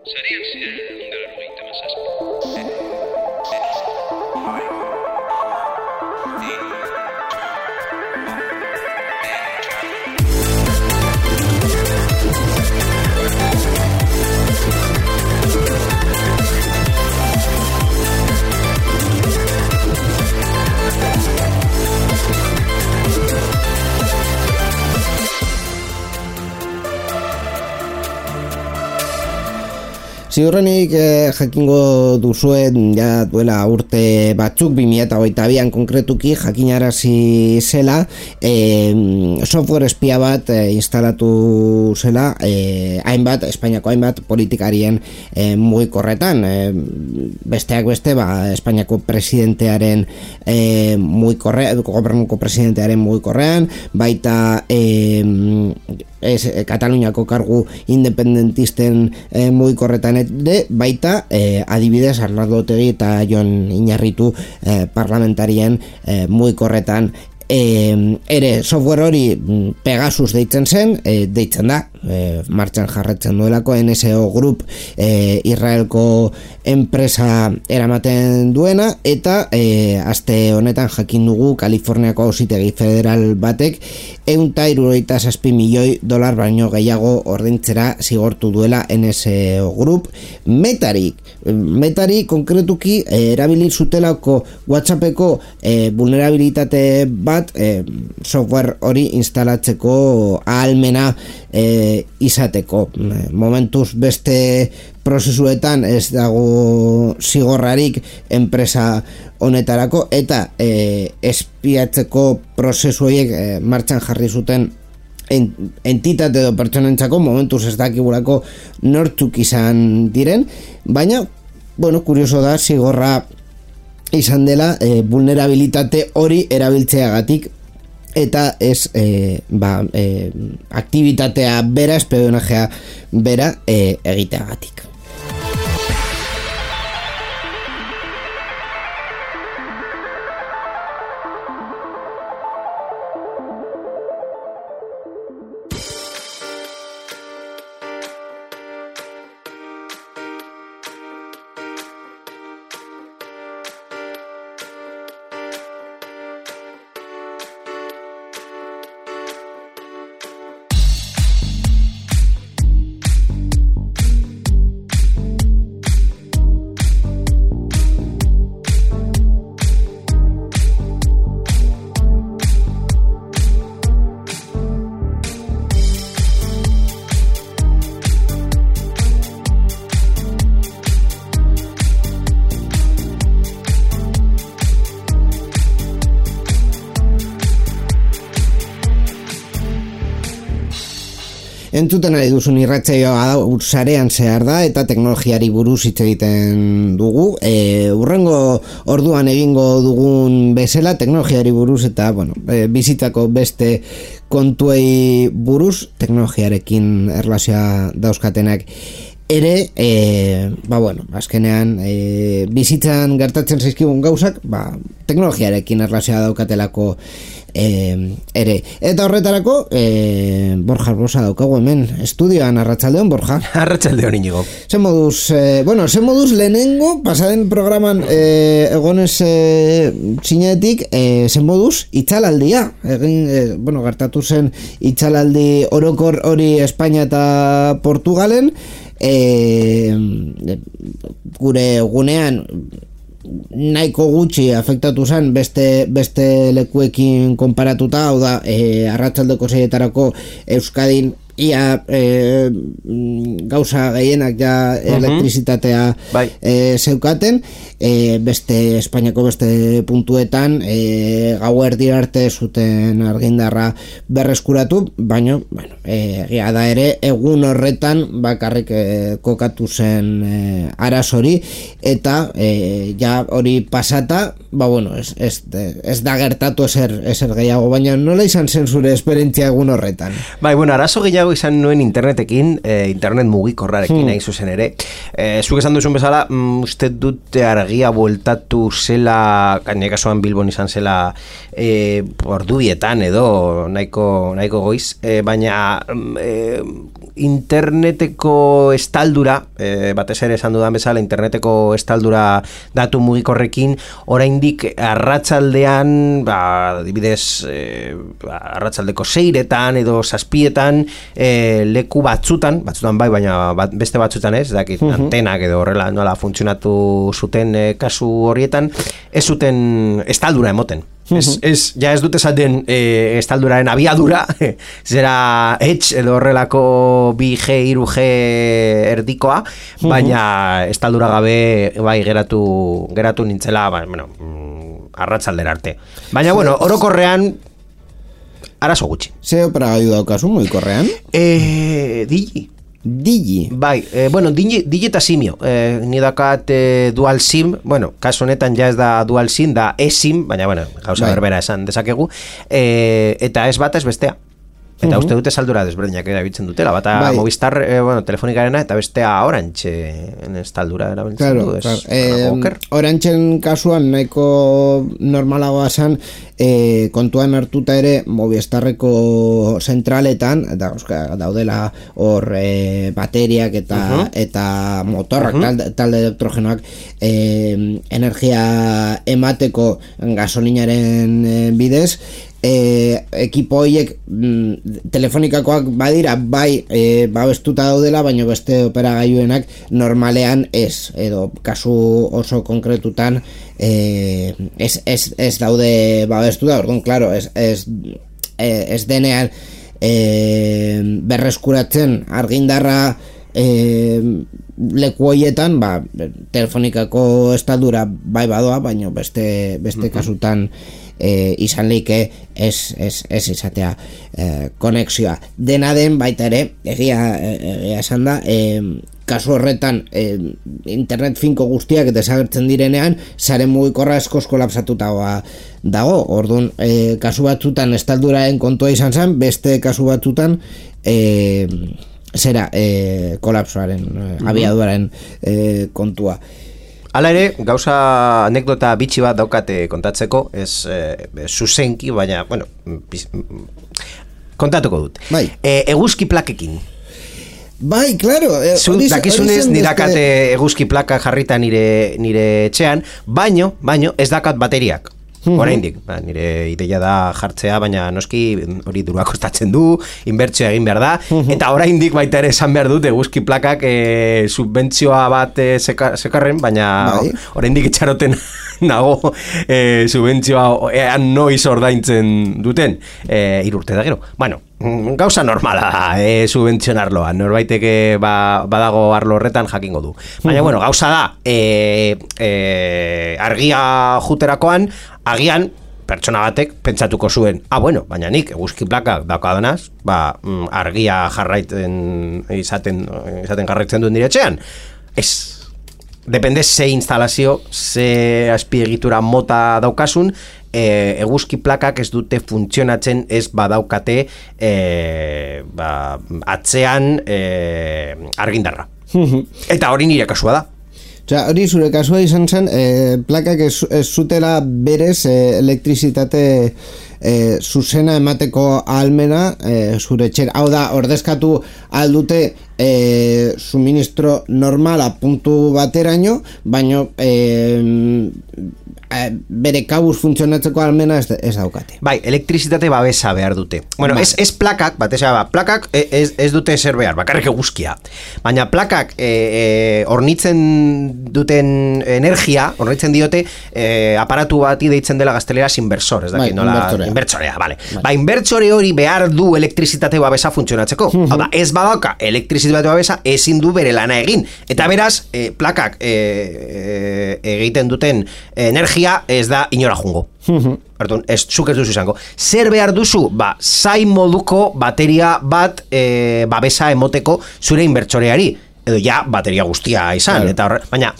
Sarian ziren 197. Ziurrenik jakingo duzuen ja duela urte batzuk 2022an konkretuki jakinarazi zela software espia bat instalatu zela Espainiako hainbat politikarien mugikorretan, besteak beste Espainiako presidentearen gobernuko presidentearen mugikorrean, baita Kataluniako kargu independentisten mugikorretan ere, baita adibidez Arnaldo Otegi eta Jon Iñarritu parlamentarien mugikorretan ere. Software hori Pegasus deitzen zen, deitzen da, martxan jarretzen duelako NSO Group, Israelko enpresa eramaten duena, eta aste honetan jakin dugu Kaliforniako auzitegi federal batek $167 milioi baino gehiago ordaintzera zigortu duela NSO Group Metari konkretuki erabili zutelako WhatsAppeko vulnerabilitate bat software hori instalatzeko ahalmena izateko. Momentuz beste prozesuetan ez dago zigorrarik enpresa honetarako, eta espiatzeko prozesu horiek martxan jarri zuten entitate edo pertsonentzako momentuz ez dakigulako nortzuk izan diren, baina kurioso da zigorra izan dela vulnerabilitate hori erabiltzeagatik eta ez aktibitatea bera, espionajea bera egiteagatik. Entzuten ari duzun irratsaioa sarean zehar da eta teknologiari buruz hitz egiten dugu. Urrengo orduan egingo dugun bezala teknologiari buruz eta bizitzako beste kontuei buruz, teknologiarekin erlazioa dauzkatenak ere, azkenean bizitzan gertatzen zaizkigun gauzak, teknologiarekin erlazioa daukatelako ere. Eta horretarako Borja Arbosa daukagu hemen estudioan. Arratsaldeon, Borja. Arratsaldeon, Inigo. Zen moduz lehenengo pasaden programan egonez zinetik, zen moduz itxalaldia gertatu zen itxalaldi orokor hori Espainia eta Portugalen. Gure gunean nahiko gutxi afektatu zen beste lekuekin konparatuta, hau da, arratsaldeko 6etarako Euskadin ia gauza gehienak ja elektrizitatea zeukaten, beste Espainiako beste puntuetan gauerdi arte zuten argindarra berreskuratu, baina egia da ere egun horretan bakarrik kokatu zen arazori, eta ja hori pasata ez da gertatu ezer gehiago, baina nola izan zen zure esperientzia egun horretan? Arazo gehiago arazo izan nuen internetekin, internet mugikorrarekin nahi zuzen ere. Zuk esan duzun bezala, uste dute argia bueltatu zela, gaine kasuan Bilbon izan zela ordubietan edo nahiko goiz, baina interneteko estaldura, batez ere esan dudan bezala, interneteko estaldura datu mugikorrekin, oraindik arratsaldean, adibidez, arratsaldeko 6etan edo 7etan, leku batzutan bai, baina beste batzutan ez, dakit, antenak edo horrela nola funtzionatu zuten kasu horietan, ez zuten estaldura emoten. Ez dute esaten estalduraren abiadura, zera edge edo horrelako 2G, 3G erdikoa, baina estaldura gabe bai geratu nintzela, arratsaldera arte. Baina, orokorrean, arazo gutxi. Ze operagailu daukazu mugikorrean? Digi. Bai, Digi eta Simio. Ni dakat dual SIM, kasu honetan ja ez da dual SIM, da eSIM, baina, gauza berbera esan dezakegu, eta ez bata ez bestea. Eta uste dute saldura desberdinak erabiltzen dutela, bata Movistar, telefonikarena, eta bestea Orange estaldura erabiltzen du. Orangen kasuan nahiko normalagoa zen, kontuan hartuta ere Movistarreko zentraletan, daudela hor bateriak eta motorrak, talde elektrogenoak, energia emateko gasolinaren bidez, ekipo horiek telefonikakoak badira bai babestuta daudela, baina beste operagailuenak normalean ez, edo kasu oso konkretutan ez daude babestuta. Orduan, claro, ez denean berreskuratzen argindarra leku horietan, telefonikako estaldura bai badoa, baina beste kasutan izan leike ez izatea konexioa. Dena den baita ere, egia esan da, kasu horretan internet finko guztiak desagertzen direnean, sare mugikorra eskoz kolapsatuta dago. Orduan, kasu batzutan estalduraren kontua izan zen, beste kasu batzutan kolapsoaren, abiaduaren kontua. Hala ere, gauza anekdota bitxi bat daukate kontatzeko, ez zuzenki, baina, kontatuko dut. Bai. Eguzki plakekin. Bai, claro. Dakizunez, nirakate eguzki plaka jarrita nire etxean, baino ez dakat bateriak. Oraindik, nire ideia da jartzea, baina noski hori dirua kostatzen du, inbertsioa egin behar da, eta oraindik baita ere esan behar dut eguzki plakak subbentzioa bat sekarren, baina oraindik itxaroten nago subentzioa ean noiz ordaintzen duten 3 urte da gero. Bueno, gauza normala subentzionarloa, norbaiteke badago arlo horretan jakingo du. Baina, bueno, gauza da argia juterakoan, agian pertsona batek pentsatuko zuen, baina nik eguzki plakak daukadanaz, argia jarraiten izaten jarraitzen duen diretxean. Ez. Depende ze instalazio, ze azpiegitura mota daukasun, eguzki plakak ez dute funtzionatzen ez badaukate atzean argindarra. Eta hori nire kasua da. Hori zure kasua izan zen, plakak ez zutela berez elektrizitate zuzena emateko ahalmena zure etxera. Hau da, ordezkatu aldute suministro normala puntu bateraino, baina bere kabuz funtzionatzeko almena ez daukate. Bai, elektrizitate babesa behar dute. Bueno, ez plakak, plakak ez dute zer behar, bakarrik eguzkia. Baina plakak hornitzen duten energia, hornitzen diote aparatu bati deitzen dela gazteleraz inversor, ez dakit nola, inbertsorea, bale. Inbertsore hori behar du elektrizitate babesa funtzionatzeko. Hau da, ez badauka elektrizitate babesa ezin du bere lana egin. Eta beraz, plakak egiten duten energia ez da inora jungo. Perdón, zuk ez duzu izango. Zer behar duzu? Zai moduko bateria bat babesa emoteko zure inbertsoreari. edo ja bateria guztia izan, eta baina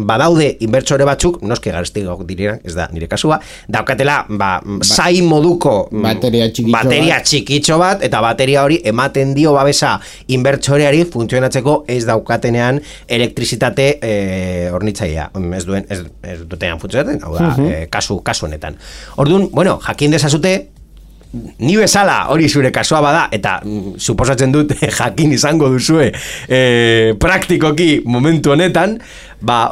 badaude inbertsore batzuk, noski garestigok direnak, ez da nire kasua, daukatela zai moduko bateria txikitxo bat, eta bateria hori ematen dio babesa inbertsoreari funtzionatzeko ez daukatenean elektrizitate hornitzailea, ez dutenean funtzionatzen, hau da, kasu honetan. Orduan, bueno, jakin dezazute, ni bezala hori zure kasua bada, eta suposatzen dut jakin izango duzue praktikoki momentu honetan,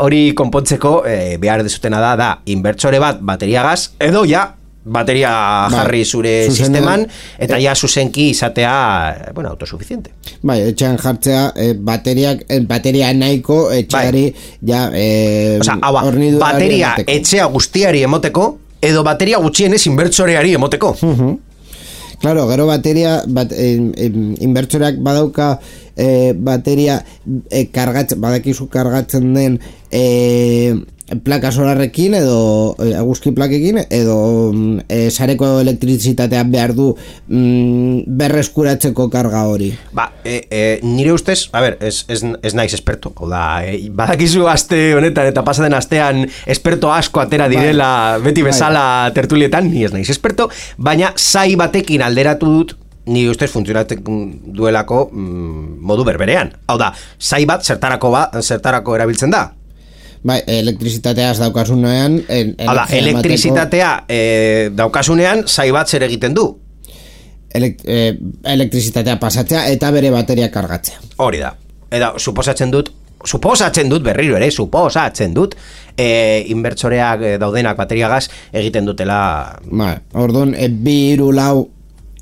hori konpontzeko behar dezutena da inbertsore bat bateriagaz, edo ja bateria jarri zure sisteman, eta ja zuzenki izatea, bueno, autosuficiente. Bai, etxean jartzea bateria nahiko etxeari ja hornidura bateria etxea guztiari emoteko, edo bateria gutxienez inbertsoreari emoteko. Claro, gero bateria inbertsoreak badauka bateria badakizu kargatzen den plaka solarrekin edo eguzki plakekin edo sareko elektrizitatea behar du berreskuratzeko karga hori. Nire ustez, ez naiz esperto, badakizu aste honetan eta pasaden astean esperto asko atera direla beti bezala tertulietan, ni ez naiz esperto, baina zai batekin alderatu dut nire ustez funtzionatzen duelako modu berberean. Hau da, zai bat zertarako erabiltzen da? Bai, elektrizitatea ez daukasunean elektrizitatea daukasunean zai bat zer egiten du? Elektrizitatea pasatzea eta bere bateria kargatzea. Hori da. Eta suposatzen dut berriro ere, inbertsoreak daudenak bateriagaz egiten dutela. Orduan, 2, 3,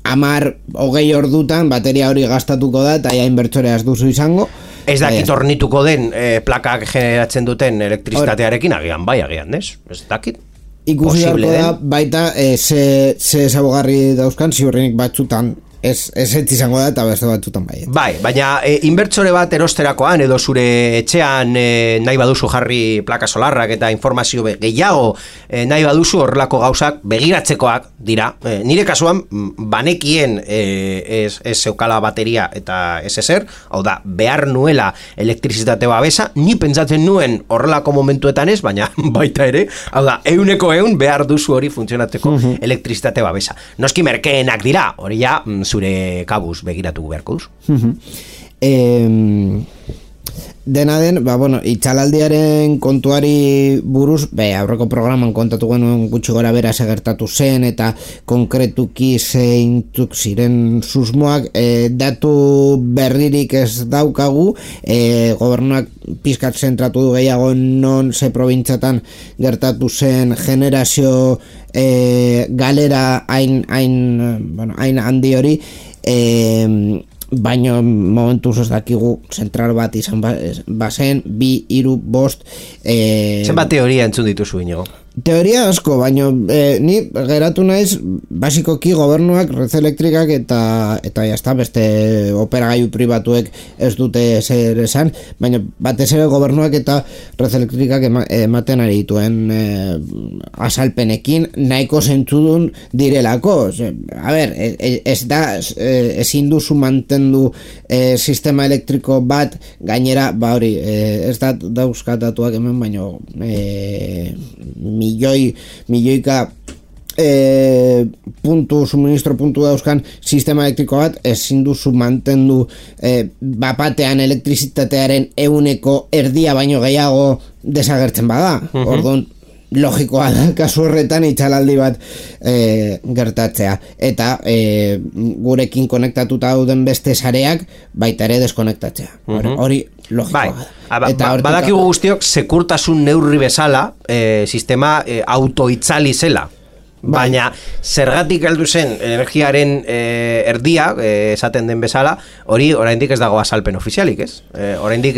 4, 10 ordutan bateria hori gastatuko da eta ja inbertsorea ez duzu izango. Ez dakit ornituko den plakak generatzen duten elektrizitatearekin, agian, ez dakit. Ikusi beharko da, baita, ze zabogarri dauzkan, ziurrenik batzutan, ez izango da eta beste batzutan bai. Bai, baina inbertsore bat erosterakoan edo zure etxean nahi baduzu jarri plaka solarrak eta informazio gehiago nahi baduzu horrelako gauzak begiratzekoak dira. Nire kasuan banekien ez zeukala bateria eta ez ezer, hau da, behar nuela elektrizitate babesa, ni pentsatzen nuen horrelako momentuetan ez, baina baita ere, hau da, 100% behar duzu hori funtzionatzeko elektrizitate babesa. Noski merkeenak dira, hori ja zure kabuz begiratu beharko duzu. Dena den, itxalaldiaren kontuari buruz, aurreko programan kontatu genuen gutxi gora bera segertatu zen eta konkretuki zeintzuk ziren susmoak, datu berririk ez daukagu, gobernuak pizkat zentratu du gehiago non ze probintzatan gertatu zen generazio galera hain handi hori, baina momentuz ez dakigu zentral bat izan bazen 2, 3, 5 zenbat teoria entzun dituzu Inigo? Teoria asko, baina ni geratu naiz basikoki gobernuak Red Elektrikak eta jazta beste operagailu pribatuek ez dute zer esan, baina batez ere gobernuak eta Red Elektrikak ematen ari dituen azalpenekin nahiko zentzudun direlako. Ezin duzu mantendu sistema elektriko bat, gainera ez da dauzkatatuak hemen, baina milioika suministro puntu dauzkan sistema elektriko bat, ezin duzu mantendu bapatean elektrizitatearen 1/3 baino gehiago desagertzen bada. Orduan, logikoa da kasu horretan itxalaldi bat gertatzea eta gurekin konektatuta dauden beste sareak baita ere deskonektatzea. Hori logikoa da. Badakigu guztiok sekurtasun neurri bezala sistema autoitzali zela. Baina zergatik heldu zen energiaren erdia, esaten den bezala, hori oraindik ez dago azalpen ofizialik, ez? Oraindik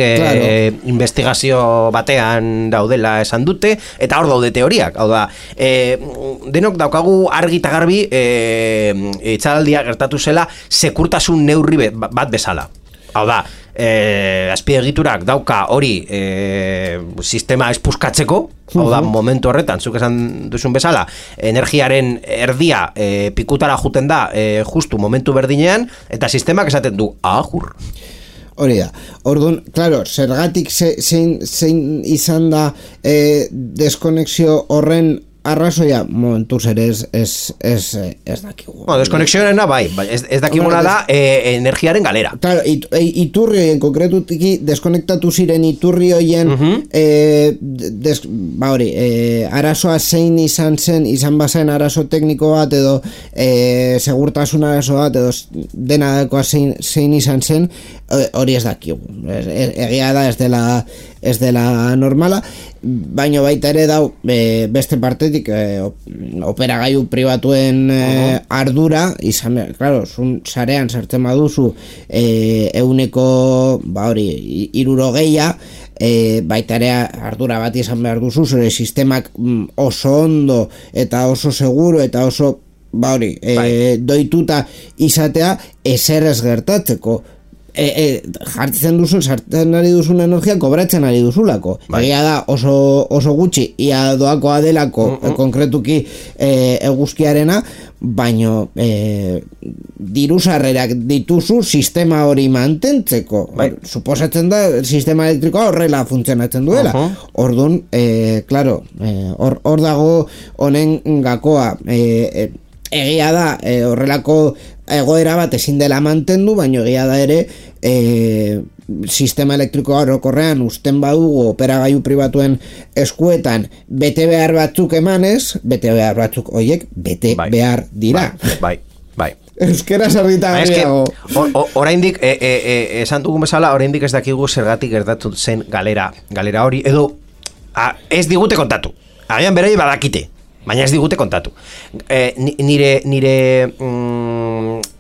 investigazio batean daudela esan dute, eta hor daude teoriak. Hau da, denok daukagu argi eta garbi itxalaldia gertatu zela sekurtasun neurri bat bezala. Hau da, azpiegiturak dauka hori sistema espuskatzeko, hau da, momentu horretan, zuk esan duzun bezala, energiaren erdia pikutara juten da justu momentu berdinean, eta sistemak esaten du, ahur. Hori da. Orduan, claro, zergatik zein izan da deskonexio horren arrazoia, momentuz ere ez dakigu. Deskonexioarena bai, ez dakiguna da energiaren galera. Claro, iturri horien, konkretutik deskonektatu ziren iturri horien arazoa zein izan bazen arazo tekniko bat edo segurtasun arazo bat edo dena dakoa zein izan zen, hori ez dakigu. Egia da ez dela normala, baino baita ere dau beste partetik operagailu pribatuen ardura izan, claro, sarean sartzen baduzu 60%, baita ere ardura bat izan behar duzu, zure sistemak oso ondo eta oso seguro eta oso doituta izatea ezer ez gertatzeko. Jartzen duzun, sartzen ari duzun energia kobratzen ari duzulako. Egia da oso gutxi ia doakoa delako konkretuki eguzkiarena, baino diru sarrerak dituzu sistema hori mantentzeko. Suposatzen da sistema elektrikoa horrela funtzionatzen duela. Orduan, claro, hor dago honen gakoa. Egia da horrelako egoera bat ezin dela mantendu, baina egia da ere sistema elektrikoa orokorrean uzten badugu operagailu pribatuen eskuetan bete behar batzuk emanez, bete behar batzuk horiek bete behar dira. Bai. Euskera sarrita gehiago. Oraindik esan dugun bezala, oraindik ez dakigu zergatik gertatu zen galera hori, edo ez digute kontatu. Agian berei badakite, baina ez digute kontatu. Nire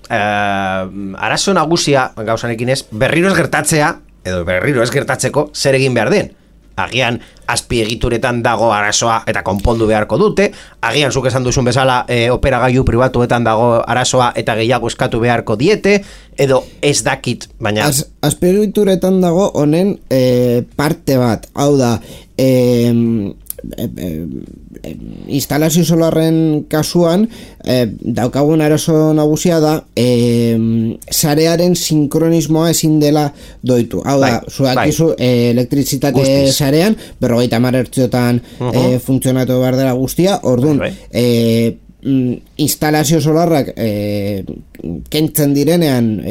arazo nagusia gauzanekin ez, berriro ez gertatzea, edo berriro ez gertatzeko zer egin behar den. Agian azpiegituretan dago arazoa eta konpondu beharko dute, agian zuk esan duzun bezala operagailu pribatuetan dago arazoa eta gehiago eskatu beharko diete, edo ez dakit, baina... Azpiegituretan dago honen parte bat, hau da... instalazio solarren kasuan daukagun arazo nagusia da sarearen sinkronismoa ezin dela doitu. Hau da, zuakizu elektrizitate sarean 50 hertziotan funtzionatu behar dela guztia, orduan instalazio solarrak kentzen direnean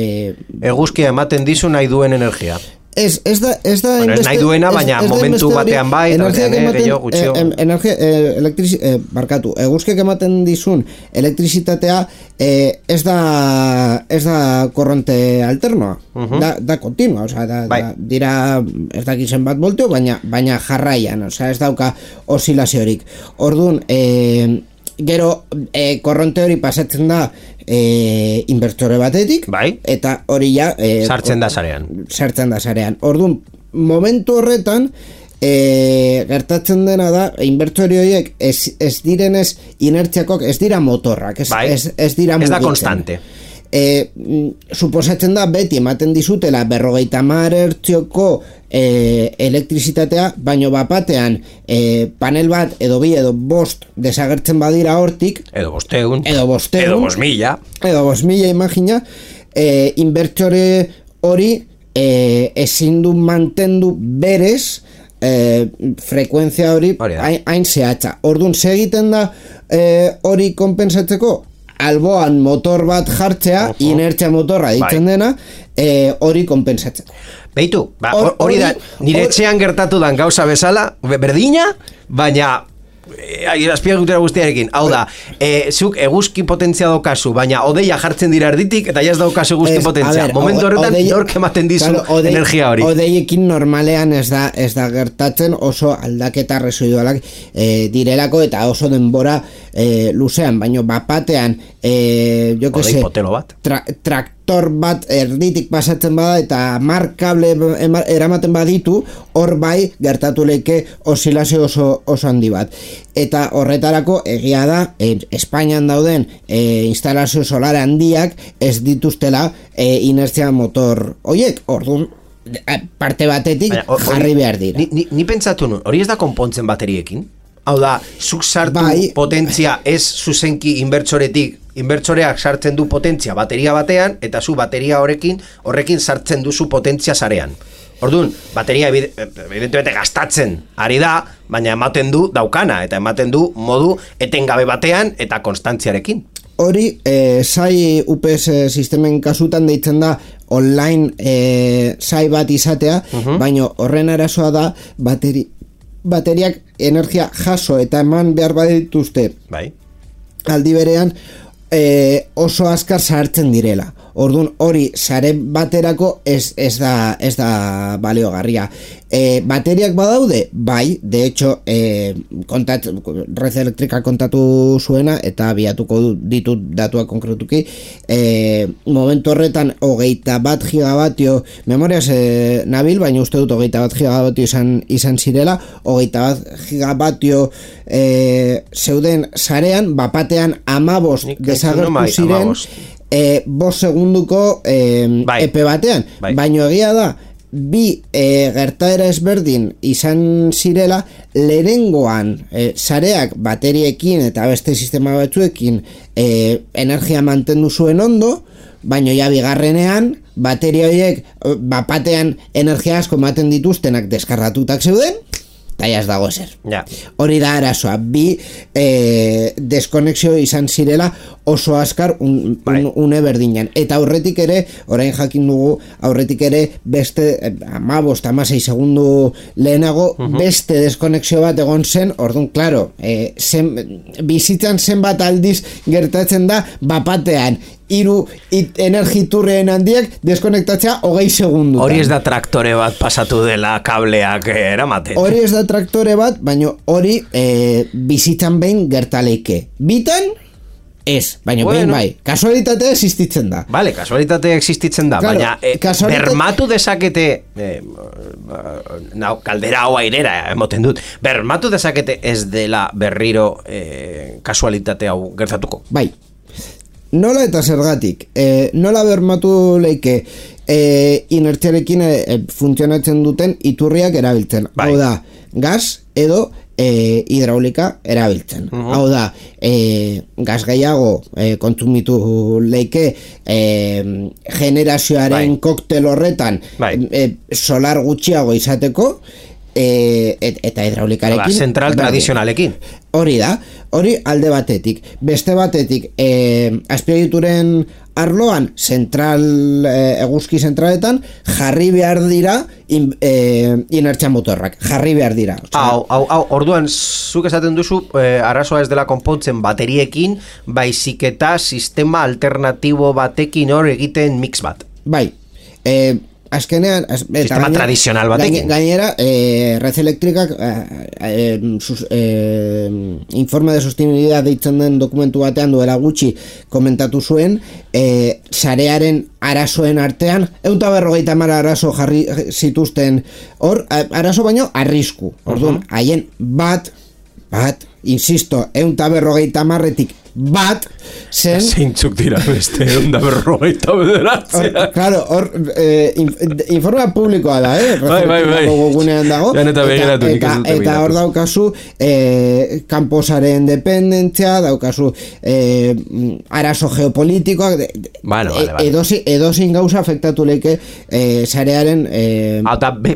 eguzkia ematen dizu nahi duen energia. Ez da bueno, ez nahi duena, baina momentu batean bai, eguzkiak ematen dizun elektrizitatea ez da korronte alternoa, da kontinua, dira ez dakizen bat volteo, baina jarraian, ez dauka osilaziorik. Orduan, gero korronte hori pasatzen da inbertsore batetik, eta hori ja sartzen da sarean. Orduan, momentu horretan gertatzen dena da inbertsore horiek ez direnez inertziakok, ez dira motorrak, ez dira mugitzen. Ez da konstante. Suposatzen da beti ematen dizutela 50 hertzioko elektrizitatea, baino bapatean panel bat edo bi edo bost desagertzen badira hortik, edo bosteun, edo 5.000 imagina, inbertsore hori ezin du mantendu berez frekuentzia hori hain zehatza. Orduan, segiten da hori konpensatzeko alboan motor bat jartzea, inertzia motorra ditzen dena, hori konpensatzeko. Beitu, hori da, nire etxean gertatu dan gauza bezala, berdina, baina azpiegitura guztiarekin, hau da, zuk eguzki potentzia daukazu, baina odeia jartzen dira erditik, eta jaz daukazu eguzki potentzia. Momentu horretan, nork ematen dizu energia hori. Odeiekin normalean ez da gertatzen, oso aldaketa residualak direlako, eta oso denbora luzean, baina bapatean, jo que se, traktor bat erditik pasatzen bada, eta markable eramaten baditu, hor bai gertatu leike osilazio oso handi bat. Eta horretarako egia da Espainian dauden instalazio solar handiak ez dituztela inertzia motor hoiek. Orduan parte batetik jarri behar dira. Ni pentsatu nun, hori ez da konpontzen bateriekin? Hau da, zuk sartu potentzia ez zuzenki inbertsoretik inbertsoreak sartzen du potentzia bateria batean, eta zu bateria horrekin sartzen duzu potentzia sarean. Orduan, bateria evidentemente gastatzen ari da, baina ematen du daukana, eta ematen du modu etengabe batean eta konstantziarekin. Hori, SAI UPS sistemen kasutan deitzen da online SAI bat izatea, baina horren arazoa da bateriak energia jaso eta eman behar badituzte. Bai. Aldi berean oso azkar sartzen direla. Orduan hori sare baterako ez da baliogarria. Bateriak badaude? Bai, de hecho Red Eléctrica kontatu zuena eta biatuko ditut datua konkretuki. Momentu horretan 21 gigabatio memoriaz nabil, baina uste dut 21 gigabatio izan zirela, 21 gigabatio zeuden sarean, bapatean 15 desagertu ziren 5 segunduko epe batean, baina egia da bi gertaera ezberdin izan zirela, lehenengoan sareak bateriekin eta beste sistema batzuekin energia mantendu zuen ondo, baina ja bigarrenean bateria horiek bapatean energia asko ematen dituztenak deskargatutak zeuden, eta ez dago ezer. Hori da arazoa, bi deskonexio izan zirela oso azkar une berdinan. Eta aurretik ere, orain jakin dugu, aurretik ere beste 15-16 segundu lehenago beste deskonexio bat egon zen, orduan, klaro, bizitzan zenbat aldiz gertatzen da bapatean hiru energiturreen handiak deskonektatzea 20 segundu. Hori ez da traktore bat pasatu dela kableak eramaten. Hori ez da traktore bat, baina hori bizitzan behin gertaleike. Bitan ez, baina behin bai. Kasualitatea existitzen da. Vale, kasualitatea existitzen da, claro, baina bermatu dezakete kaldera hau airera emoten dut, bermatu dezakete ez dela berriro kasualitate hau gertatuko. Bai. Nola eta zergatik, nola bermatu leike inertziarekin funtzionatzen duten iturriak erabiltzen. Hau da, gas edo hidraulika erabiltzen. Hau da, gas gehiago kontsumitu leike generazioaren koktel horretan solar gutxiago izateko, eta hidraulikarekin zentral tradizionalekin. Hori da, hori alde batetik. Beste batetik, azpiegituren arloan zentral eguzki zentraletan jarri behar dira inertzia motorrak, jarri behar dira. Orduan, zuk esaten duzu arazoa ez dela konpontzen bateriekin, baizik eta sistema alternatibo batekin hor egiten mix bat. Bai, azkenean sistema tradizional batekin. Gainera, Red Eléctricak informe de sostenibilidad deitzen den dokumentu batean duela gutxi komentatu zuen, sarearen arazoen artean 150 arazo jarri zituzten hor, arazo baino arrisku. Orduan, haien bat, insisto, 150-etik bat zen... Zeintzuk dira beste 150 Claro, hor informa publikoa da, Bai. gugunean dago. Eta hor daukazu kanposaren dependentzia, daukazu arazo geopolitikoak, edozin gauza afektatu leke sarearen...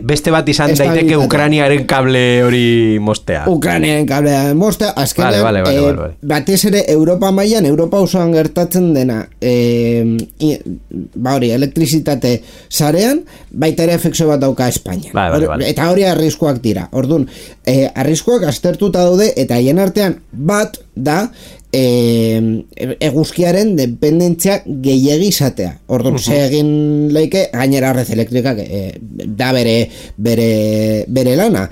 Beste bat izan daiteke Ukraniaren kable hori mostea. Ukraniaren kable mostea, azkenean batez ere Europa mailan, Europa osoan gertatzen dena elektrizitate sarean, baita ere efekzio bat dauka Espainia. Eta hori arriskuak dira. Orduan, arriskuak aztertuta daude, eta haien artean bat da eguzkiaren dependentzia gehiegi izatea. Orduan, egin leike, gainera Red Eléctricak da bere lana.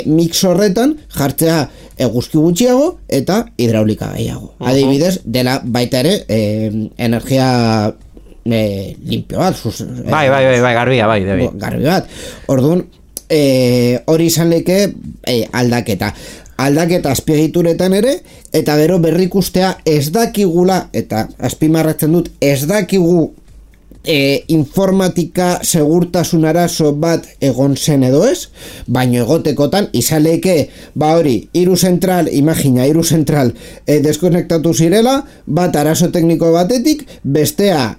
Mix horretan jartzea eguzki gutxiago eta hidraulika gehiago. Adibidez, dela baita ere energia limpio bat. Garbi bat. Orduan, hori izan leke aldaketa azpiegituretan ere, eta gero berrikustea ez dakigula, eta azpimarratzen dut, ez dakigu informatika segurtasun arazo bat egon zen edo ez, baino egotekotan izaleke, hori, hiru zentral deskonektatu zirela, bat arazo tekniko batetik, bestea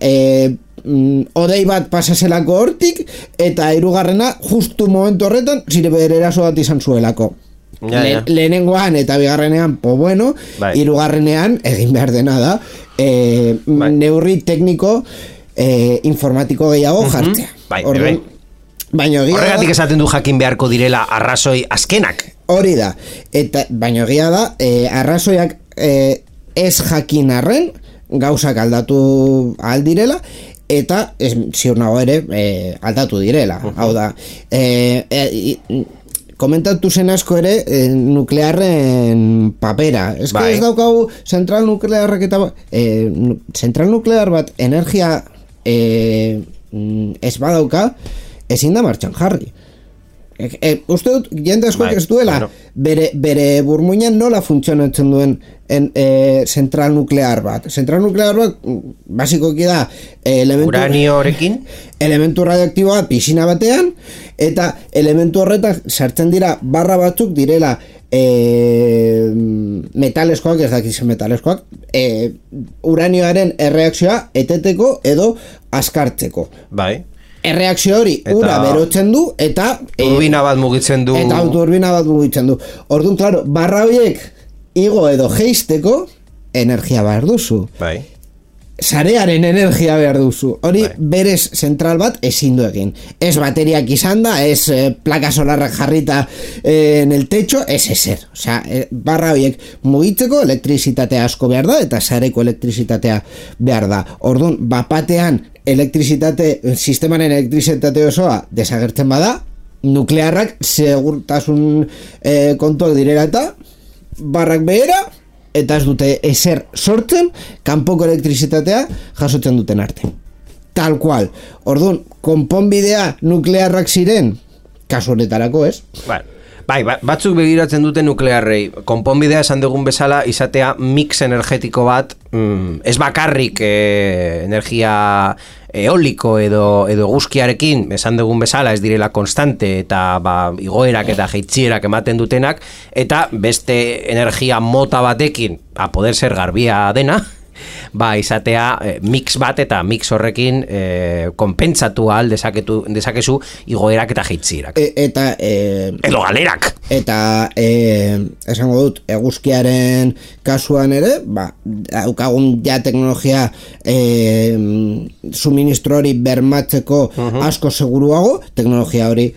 odei bat pasazelako hortik, eta hirugarrena justu momentu horretan zire bererazo bat izan zuelako. Lehenengoan eta bigarrenean, bueno, hirugarrenean egin behar dena da, neurri tekniko informatiko gehiago jartzea. Baina horregatik esaten du jakin beharko direla arrazoi azkenak. Hori da, eta baina egia da, arrazoiak ez jakin arren gauzak aldatu aldirela, eta ziur nago ere aldatu direla. Hau da, komentatu zen asko ere nuklearren papera. Ez que ez daukagu zentral nuklearrak eta zentral nuklear bat energia ez badauka ezin da martxan jarri. Uste dut, jende askoak ez duela bere burmuinan nola funtzionatzen duen zentral nuklear bat. Zentral nuklear bat basikoki da uraniorekin elementu radioaktiboa pisina batean, eta elementu horretan sartzen dira barra batzuk direla metaleskoak, ez dakizen metaleskoak, uranioaren erreakzioa eteteko edo askartzeko. Erreakzio hori ura berotzen du eta turbina bat mugitzen du. Orduan, claro, barra horiek igo edo jeisteko energia behar duzu. Sarearen energia behar duzu. Hori berez zentral bat ezin du egin. Ez bateriak izan da, ez plaka solarrak jarrita en el techo, ez ezer. Osea, barra horiek mugitzeko elektrizitatea asko behar da eta sareko elektrizitatea behar da. Orduan, bapatean sistemaren elektrizitate osoa desagertzen bada, nuklearrak segurtasun kontuak direla eta barrak behera, eta ez dute ezer sortzen, kanpoko elektrizitatea jasotzen duten arte. Tal cual. Orduan, konponbidea nuklearrak ziren, kasu honetarako, ez? Batzuk begiratzen dute nuklearrei. Konponbidea esan dugun bezala izatea mix energetiko bat, ez bakarrik energia eoliko edo eguzkiarekin esan dugun bezala ez direla konstante eta igoerak eta jeitzierak ematen dutenak, eta beste energia mota batekin a poder ser garbia dena, izatea mix bat eta mix horrekin konpentsatu ahal dezakezu igoerak eta jeitzierak. Edo galerak. Eta esango dut, eguzkiaren kasuan ere, daukagun ja teknologia suministro hori bermatzeko asko seguruago, teknologia hori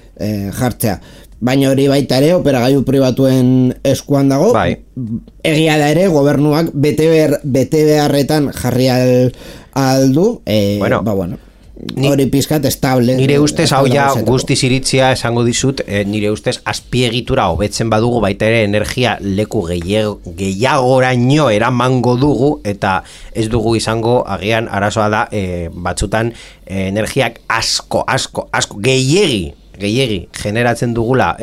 jartzea. Baina hori baita ere operagailu pribatuen eskuan dago. Egia da ere gobernuak bete beharretan jarri aldu. Hori pizkat estable. Nire ustez hau ja guztiz iritzia esango dizut, nire ustez azpiegitura hobetzen badugu baita ere energia leku gehiagoraino eramango dugu, eta ez dugu izango agian arazoa da batzutan energiak asko gehiegi generatzen dugula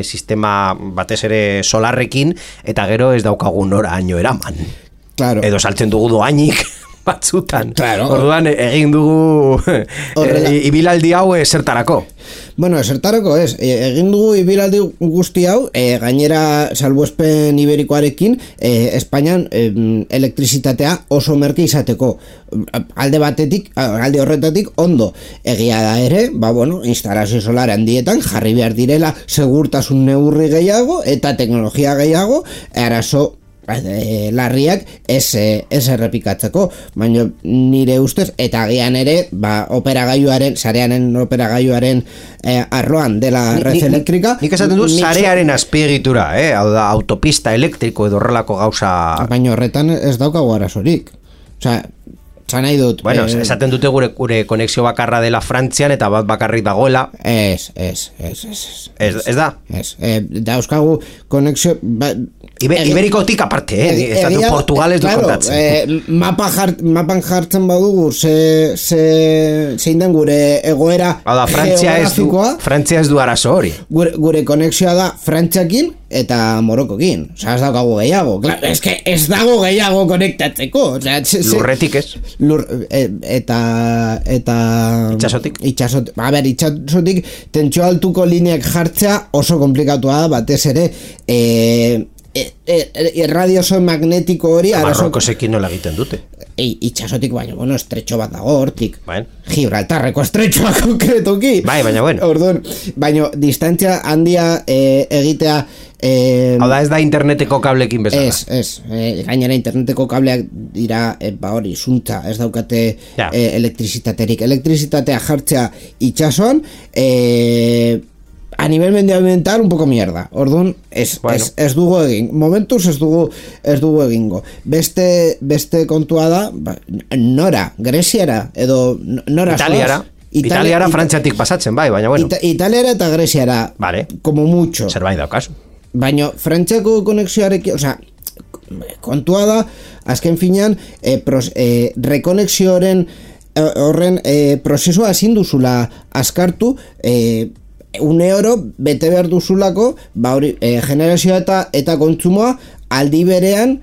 sistema batez ere solarrekin, eta gero ez daukagun noraino eraman. Edo saltzen dugu doainik batzutan. Orduan egin dugu ibilaldi hau zertarako. Bueno, zertarako ez. Egin dugu ibilaldi guzti hau, gainera salbuespen iberikoarekin, Espainian elektrizitatea oso merke izateko. Alde horretatik ondo. Egia da ere, instalazio solar handietan jarri behar direla segurtasun neurri gehiago eta teknologia gehiago, arazo larriak ez errepikatzeko, baina nire ustez, eta agian ere sarearen operagailuaren arloan dela red elektrika. Nik esaten du sarearen azpiegitura, hau da autopista elektriko edo horrelako gauza. Baina horretan ez daukagu arazorik. Osea, nahi dut. Esaten dute gure konexio bakarra dela Frantzian eta bat bakarrik dagoela. Ez da? Dauzkagu konexio Iberikotik aparte, estatu Portugales du kontatzen. Mapan jartzen badugu zein den gure egoera geografikoa. Frantzia ez du arazo hori. Gure konexioa da Frantziakin eta Morokokin. Ez daukagu gehiago. Ez dago gehiago konektatzeko. Lurretik ez. eta itxasotik. A ber, itxasotik tentsio altuko lineak jartzea oso komplikatua da, batez ere irradioso magnetiko hori Marrokosekin nola egiten dute. Itxasotik, baina, estretxo bat dago hortik. Gibraltarreko estretxoa konkretuki. Baina, Orduan, baina, distantzia handia egitea... Hau da, ez da interneteko kablekin bezala. Ez, gainera interneteko kableak dira, hori, zuntza, ez daukate elektrizitaterik. Elektrizitatea jartzea itxasoan, a nivel medioambiental un poco mierda. Orduan, ez dugu egin. Momentuz ez dugu egingo. Beste kontua da, nora, Greziara, edo nora Italiara frantziatik pasatzen, baina bueno. Italiara eta Greziara, como mucho. Zerbait daukazu. Baina Frantziako konexioarekin, kontua da, azken finean, rekonexioaren horren prozesua ezin duzula askartu, €1 bete behar duzulako, generazioa eta kontsumoa aldi berean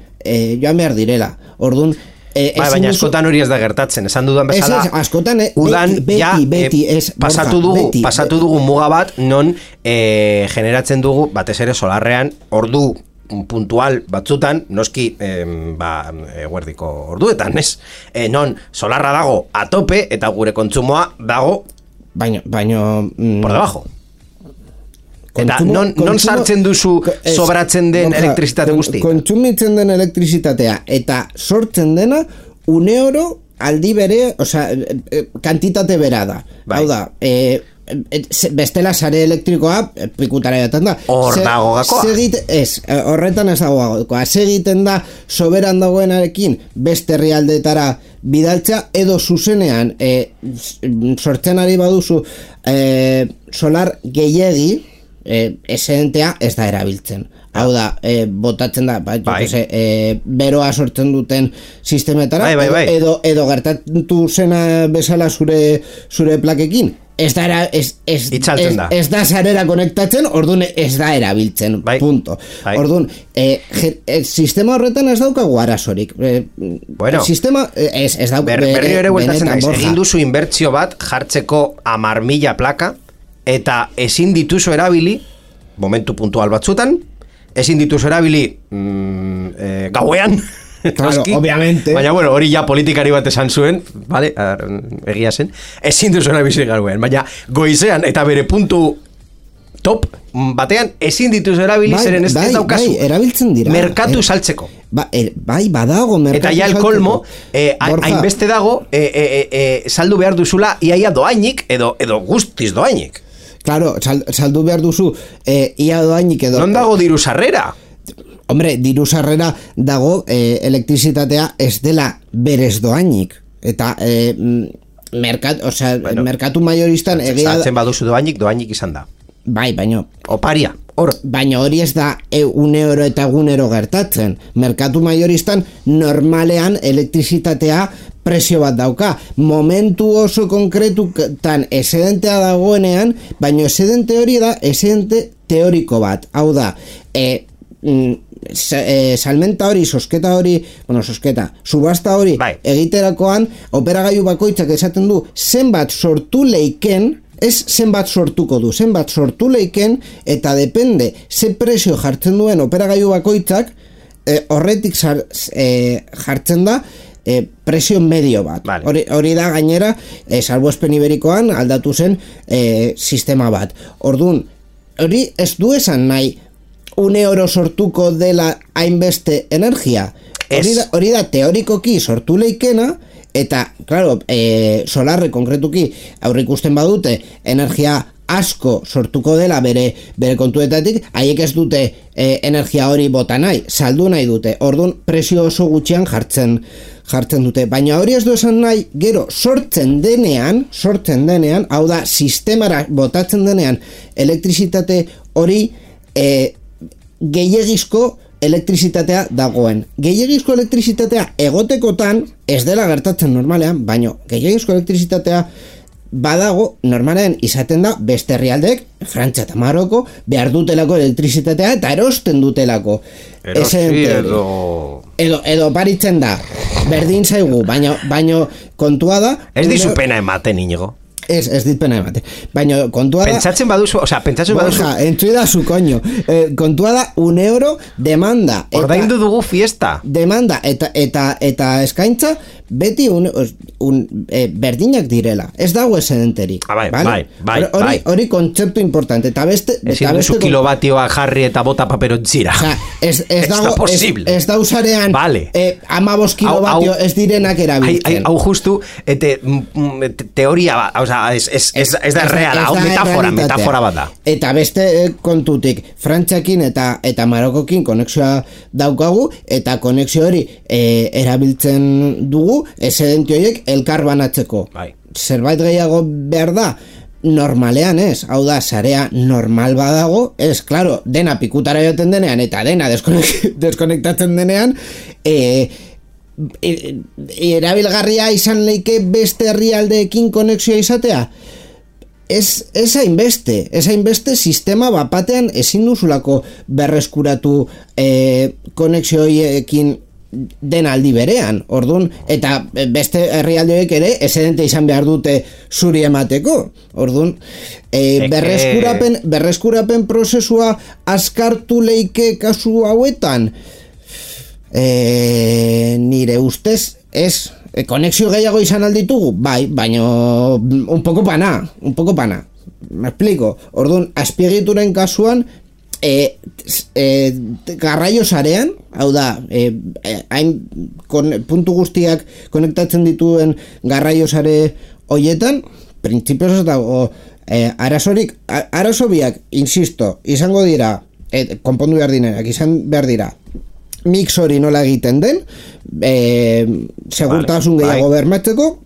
joan behar direla. Orduan, baina askotan hori ez da gertatzen, esan dudan bezala. Askotan, udan beti pasatu dugu muga bat, non generatzen dugu, batez ere solarrean, ordu puntual batzutan, noski eguerdiko orduetan, ez? Non solarra dago a tope eta gure kontsumoa dago por debajo. Eta non sartzen duzu sobratzen den elektrizitate guzti? Kontsumitzen den elektrizitatea eta sortzen dena €1 aldi bere, kantitate bera da. Hau da, bestela sare elektrikoa pikutara jaten da. Hor dago gakoa? Horretan ez dago gakoa. Segiten da soberan dagoenarekin beste herrialdeetara bidaltza edo zuzenean sortzen ari baduzu solar gehiegi, esedentea ez da erabiltzen. Hau da, botatzen da, beroa sortzen duten sistemetara, edo gertatu zena bezala zure plakekin. Ez da sarera konektatzen, orduan ez da erabiltzen, punto. Orduan, sistema horretan ez daukagu arazorik. Sistema ez daukagu. Berriro ere bueltatzen naiz, egin duzu inbertsio bat jartzeko 10.000 plaka, eta ezin dituzu erabili, momentu puntual batzutan, ezin dituzu erabili gauean, claro, obviamente. Baina, hori ja politikari bat esan zuen, vale, egia zen, ezin dituzu erabili gauean, baina goizean eta bere puntu top batean ezin dituzu erabili, zeren ez daukazu erabiltzen dira merkatu saltzeko. Badago merkatu eta ja el kolmo, hainbeste dago saldu behar duzula iaia doainik edo guztiz doainik. Claro, saldu behar duzu ia doainik edo... Non dago diru sarrera? Hombre, diru sarrera dago elektrizitatea ez dela berez doainik. Eta merkatu majoristan egia... Saltzen baduzu doainik izan da. Baina... Oparia, hor. Baina hori ez da €1 eta €1 gertatzen. Merkatu majoristan normalean elektrizitatea presio bat dauka. Momentu oso konkretutan esedentea dagoenean, baina esedente hori da esedente teoriko bat. Hau da, salmenta hori, subasta hori egiterakoan, operagailu bakoitzak esaten du zenbat sortu leiken, ez zenbat sortuko du, zenbat sortu leiken, eta depende ze presio jartzen duen operagailu bakoitzak, horretik jartzen da presio medio bat. Hori da gainera, salbuespen iberikoan aldatu zen sistema bat. Orduan, hori ez du esan nahi €1 sortuko dela hainbeste energia. Hori da teorikoki sortu leikena, eta, claro, solarre konkretuki aurrikusten badute energia asko sortuko dela bere kontuetatik, haiek ez dute energia hori bota nahi, saldu nahi dute. Orduan, presio oso gutxian jartzen dute. Baina hori ez du esan nahi, gero sortzen denean, hau da, sistemara botatzen denean elektrizitate hori gehiegizko elektrizitatea dagoen. Gehiegizko elektrizitatea egotekotan ez dela gertatzen normalean, baina gehiegizko elektrizitatea badago, normalen izaten da, beste herrialdeek, Frantzia eta Maroko, behar dutelako elektrizitatea eta erosten dutelako. Edo baritzen da, berdin zaigu, baino kontua da... Ez dizu pena ematen, Inigo. Ez dit pena emate. Baina kontua da... Pentsatzen baduzu... Borja, entzui su coño. Kontua da €1 demanda. Ordaindu dugu fiesta. Demanda eta eskaintza beti berdinak direla. Ez dago esedenterik. Bai. Hori kontzeptu importante. Eta beste... Ezin duzu kilobatioa jarri eta bota paperontzira. Ez dago... Ez da usarean... 15 kilobatio ez direnak erabiltzen. Hau justu, teoria bat, ez da reala, hau metafora bat da. Eta beste kontutik, Frantziakin eta Marokokin konexioa daukagu, eta konexio hori erabiltzen dugu, esedenti horiek elkar banatzeko. Zerbait gehiago behar da, normalean ez, hau da, sarea normal badago, ez, klaro, dena pikutara joten denean, eta dena deskonektatzen denean, erabilgarria izan leike beste herrialdeekin konexioa izatea. Ez hainbeste sistema bapatean ezin duzulako berreskuratu konexioekin den aldi berean, ordun, eta beste herrialdeek ere esedente izan behar dute zuri emateko, ordun, berreskurapen prozesua azkartu leike kasu hauetan, nire ustez ez, konexio gehiago izan alditugu, bai, baino un poco pana, me explico, orduan, azpiegituren kasuan garraio sarean, hau da, puntu guztiak konektatzen dituen garraio sare hoietan, printzipioz ez dago arazo biak, insisto, izango dira, konpondu behar dinenak, izan behar dira, mix hori nola egiten den, segurtasun gehiago bermatzeko,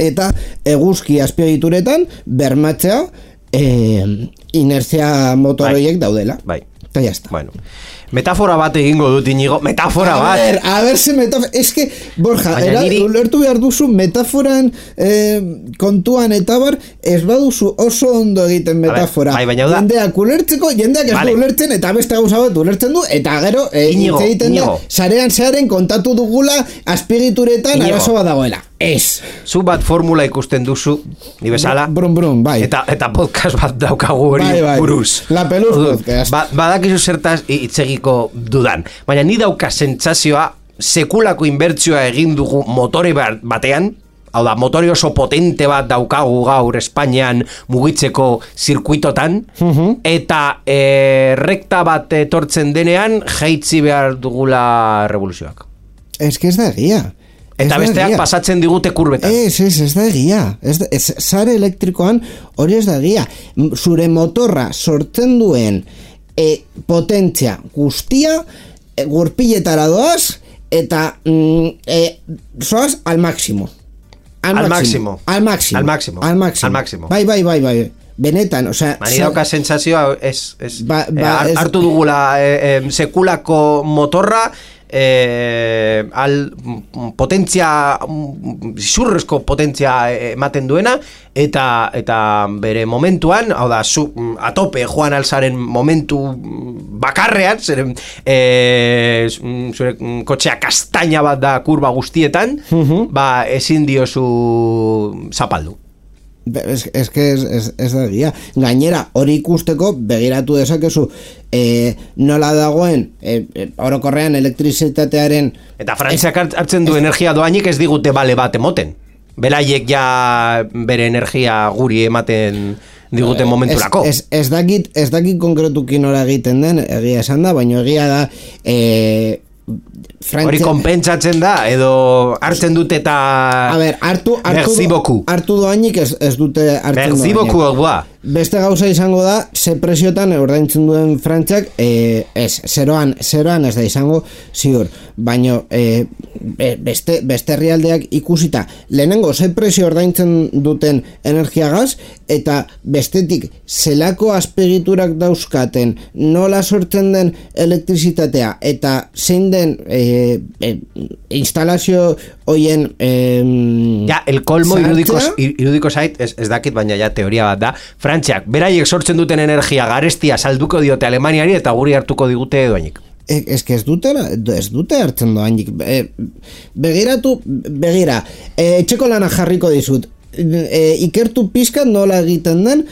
eta eguzki azpiegituretan bermatzea inertzia motoroiek daudela. Eta jazta. Bueno, metafora bat egingo dut, Inigo, metafora bat. A ver, se metafora, es que, Borja, ulertu behar duzu metaforan kontuan eta bar, ez baduzu oso ondo egiten metafora. Jendeak ulertzeko, jendeak ez du ulertzen, eta beste gauza bat ulertzen du, eta gero, egiten da, sarean kontatu dugula, azpigituretan arazo bat dagoela. Ez. Zu bat formula ikusten duzu, ni bezala. Brum, bai. Eta podcast bat daukagu hori buruz. La Peluz podcast. Badakizu zertaz itzegiko dudan. Baina ni dauka sentsazioa sekulako inbertsioa egin dugu motore batean, hau da, motore oso potente bat daukagu gaur Espainian mugitzeko zirkuitotan, eta rekta bat etortzen denean jaitzi behar dugula revoluzioak. Ez que ez da egia. Eta besteak pasatzen digute kurbetan. Ez da egia. Sare elektrikoan hori ez da egia. Zure motorra sortzen duen potentzia guztia gurpiletara doaz eta zoaz al máximo. Al máximo. Bai. Benetan, osea... Mani dauka sentsazioa hartu dugula sekulako motorra potentzia zurrezko potentzia ematen duena eta bere momentuan, hau da, atope joan alzaren momentu bakarrean, zure kotxea kastaina bat da kurba guztietan, ezin diozu zapaldu. Ez da egia. Gainera, hori ikusteko begiratu dezakezu nola dagoen orokorrean elektrizitatearen... Eta Frantziak hartzen du energia doainik ez digute bale bat emoten. Beraiek ja bere energia guri ematen diguten momenturako. Ez dakit konkretuki nola egiten den, egia esan da, baina egia da... Hori konpentsatzen da, edo hartzen dute eta... A ber, hartu doainik ez dute hartzen doainik. Beste gauza izango da, ze presiotan ordaintzen duen Frantziak, zeroan ez da izango, ziur. Baina beste herrialdeak ikusita, lehenengo ze presio ordaintzen duten energiagaz, eta bestetik zelako azpegiturak dauzkaten, nola sortzen den elektrizitatea, eta zein den instalazio hoien ja, el colmo irudiko zait, ez dakit, baina ja teoria bat da, Frantziak, beraiek sortzen duten energia garestia salduko diote Alemaniari eta guri hartuko digute doainik. Ez dute hartzen doainik. Begira, etxeko lana jarriko dizut. Ikertu pizkat nola egiten den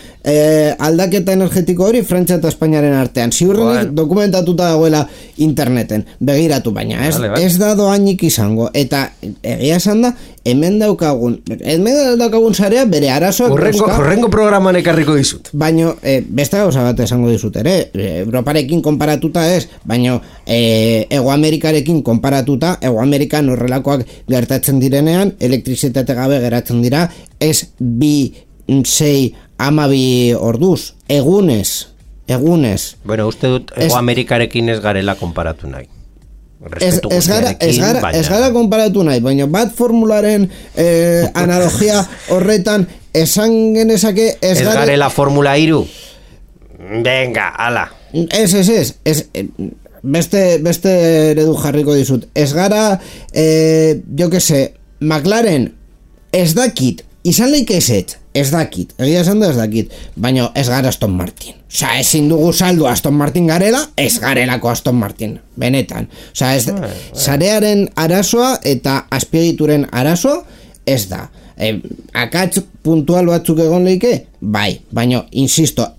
aldaketa energetiko hori Frantzia eta Espainiaren artean. Ziurrenik dokumentatuta dagoela interneten. Begiratu, baina ez da doainik izango. Eta egia esan da, hemen daukagun sarea bere arazoak horrengo programan ekarriko dizut. Baina beste gauza bat esango dizut ere, Europarekin konparatuta ez, baina Hego Amerikarekin konparatuta, Hego Amerikan horrelakoak gertatzen direnean, elektrizitate gabe geratzen dira, ez 2, 6, 12 orduz, egunez. Bueno, uste dut Hego Amerikarekin ez garela konparatu nahi. Ez gara konparatu nahi, baina bat formularen analogia horretan esan genezake ez garela Formula 3. Venga, ala. Ez beste eredu jarriko dizut. Ez gara, jo que se, McLaren ez dakit, izan leik ez dakit, egia esan da ez dakit, baina ez gara Aston Martin. Osa, ezin dugu saldu Aston Martin garela, ez garelako Aston Martin, benetan. Osa, sarearen arazoa eta azpiegituren arazoa ez da. Akats puntual batzuk egon leike, bai, baina, insisto,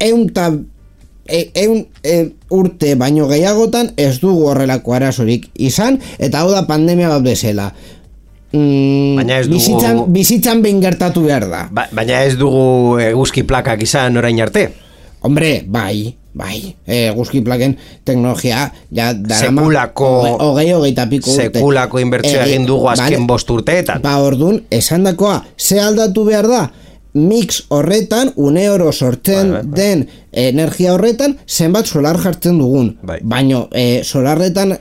urte baino gehiagotan ez dugu horrelako arazorik izan, eta hau da pandemia bat bezala. Bizitzan behin gertatu behar da. Baina ez dugu eguzki plakak izan orain arte. Hombre, bai, eguzki plaken teknologia ja sekulako hogeita piko urte. Sekulako inbertsioa egin dugu azken 5 urteetan. Orduan, esan dakoa, ze aldatu behar da? Mix horretan, une oro sortzen den energia horretan, zenbat solar jartzen dugun. Baina solarretan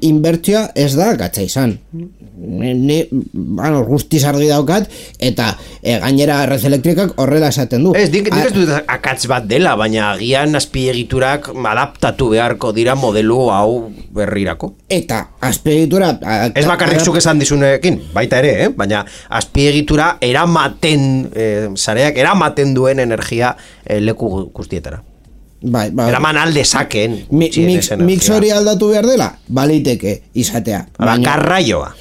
inbertsioa ez da gatza izan. Guztiz argi daukat, eta gainera Red Elektrikak horrela esaten du. Nik ez dut akats bat dela, baina agian azpiegiturak adaptatu beharko dira modelu hau berrirako. Eta azpiegitura... Ez bakarrik zuk esan dizunekin, baita ere, baina azpiegitura sareak eramaten duen energia leku guztietara. Eraman alde saken mix hori aldatu behar dela baliteke izatea garraioa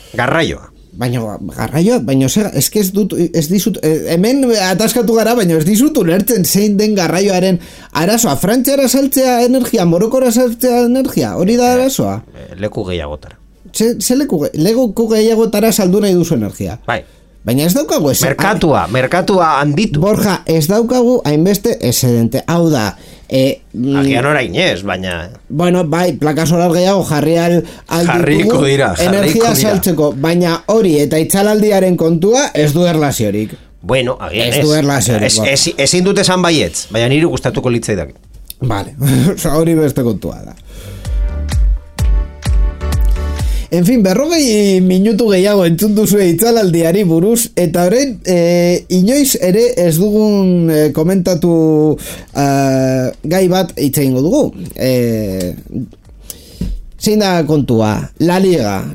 baina ez dizut hemen ataskatu gara, baina ez dizut ulertzen zein den garraioaren arazoa. Frantziara saltzea energia, Morokora saltzea energia, hori da arazoa. Leku gehiagotara leku gehiagotara saldu nahi duzu energia. Baina ez daukagu merkatua handitu. Borja, ez daukagu hainbeste excedente. Hau da, agian orain ez, baina... Bueno, bai, plaka solar gehiago jarriko dira. Energia saltzeko, baina hori eta itzalaldiaren kontua ez du erlaziorik. Bueno, agian ez du erlaziorik. Ezin dut esan baietz, baina niri gustatuko litzaidak. Vale, hori beste kontua da. En fin, 40 minutu gehiago entzun duzue itzalaldiari buruz, eta orain inoiz ere ez dugun komentatu gai bat hitz egingo dugu. Zein da kontua? La Liga.